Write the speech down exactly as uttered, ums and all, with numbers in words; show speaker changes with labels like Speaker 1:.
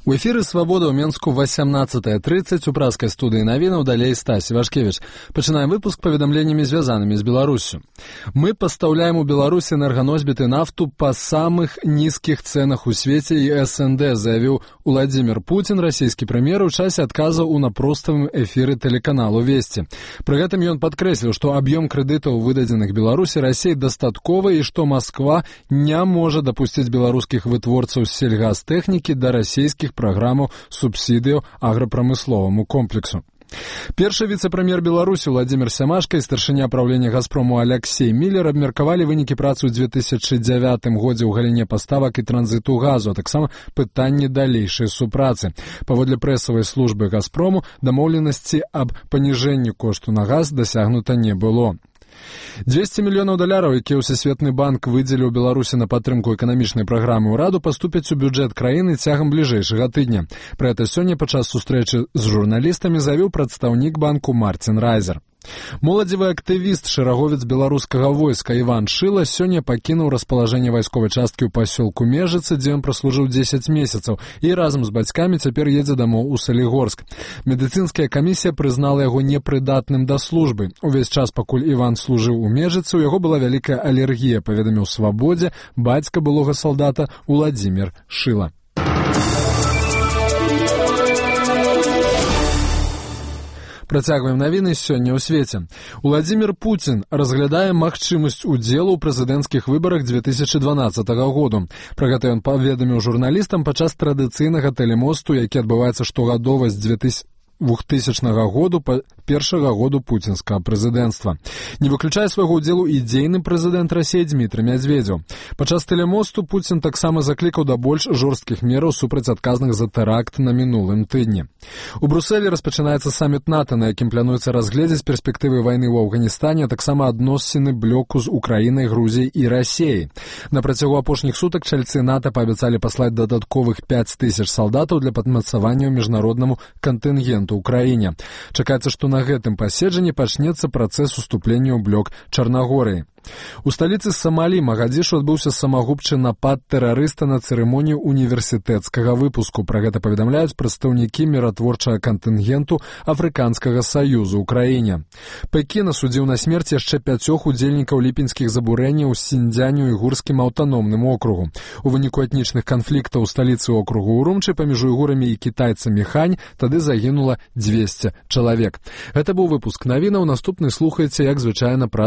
Speaker 1: У эфіры «Свабода» ў Менску восемнадцатая тридцать у праскай студыі навінаў далей Стась Івашкевіч. Пачынаем выпуск паведамленнямі, звязанымі з Беларусю. Мы пастаўляем у Беларусі энерганосьбіты нафту па самых нізкіх цэнах у свеце і эс эн дэ, заявіў Уладзімір Пуцін, расійскі прэм'ер, у часе адказаў у напроставым эфіры тэлеканалу «Весці». Пры гэтым ён падкрэсліў, што аб'ём крэдытаў, выдадзеных Беларусі, Расіі дастатковы і што Масква не можа дапусціць беларускіх вытворцаў сельгазтэхнікі да расійскіх праграмаў субсідыяў аграпрамысловаму комплексу. Першы віцэ-прэм'ер Беларусі Владзімір Сямашка і старшыня праўлення «Газпрому» Аляксей Міллер абмеркавалі вынікі працы ў две тысячы дзявятым годзе ў галіне паставак і транзіту газу, а таксама пытанні далейшай супрацы. Паводле прэсавай службы «Газпрому» дамоўленасці аб паніжэнні кошту на газ дасягнута не было. дзвесце мільёнаў даляраў, якія Всесветны банк выдзеліў Беларусі на падтрымку эканамічнай праграмы ўраду, паступяць у бюджэт краіны цягам бліжэйшага тыдня. Пра гэта сёння падчас сустрэчы з журналістамі заявіў прадстаўнік банку Мартин Райзер. Моладзевы актывіст, шэраговец беларускага войска Іван Шыла сёння пакінуў распалажэнне вайсковай часткі ў пасёлку Межыцы, дзе ён праслужыў дзесяць месяцаў, і разам з бацькамі цяпер едзе дамоў у Салігорск. Медыцынская камісія прызнала яго непрыдатным да службы. Увесь час, пакуль Іван служыў у Межыцы, у яго была вялікая алергія, паведаміў «Свабодзе» бацька былога салдата Уладзімір Шыла. Працягваем навіны сёння ў свеце. Уладзімір Пуцін разглядае магчымасць удзелу ў прэзідэнцкіх выбарах две тысячы дванаццатага году. Пра гэта ён паведаміў журналістам падчас традыцыйнага тэлемосту, які адбываецца штогадова з двухтысячнага году па першага году пуцінскага прэзідэнцтва. Не выключае свайго ўдзелу і дзейны прэзідэнт Расіі Дзмітрый Мядзведзеў. Падчас тэлемосту Пуцін таксама заклікаў да больш жорсткіх мераў супраць адказных за тэракт на мінулым тыдні. У Брусэлі распачынаецца саміт НАТО, на якім плануецца разгледзець перспектывы вайны ў Афганістане, а таксама адносіны блоку з Украінай, Грузіяй і Расіяй. На працягу апошніх сутак чальцы НАТО паабяцалі паслаць дадатковых пяць тысяч салдатаў для падмацавання міжнароднаму кантынгенту ў краіне. Чакаецца, што на гэтым паседжанні пачнецца працэс уступлення ў блок Чарнагорыі. У сталіцы Самалі Магадзішу адбыўся самагубчы напад тэрарыста на цырымонію універсітэцкага выпуску. Пра гэта паведамляюць прадстаўнікі міратворчага кантынгенту Афрыканскага саюзу ў краіне. Пекін асудзіў на смерць яшчэ пяцёх удзельнікаў ліпеньскіх забурэнняў у Сіньцзяню-Уйгурскім аўтаномным округу. У выніку этнічных канфліктаў у сталіцы округу Урумчы паміж уйгурамі і кітайцамі Хань тады загінула дзвесце чалавек. Гэта быў выпуск навінаў. Наступны слухайце, як звычайна, пра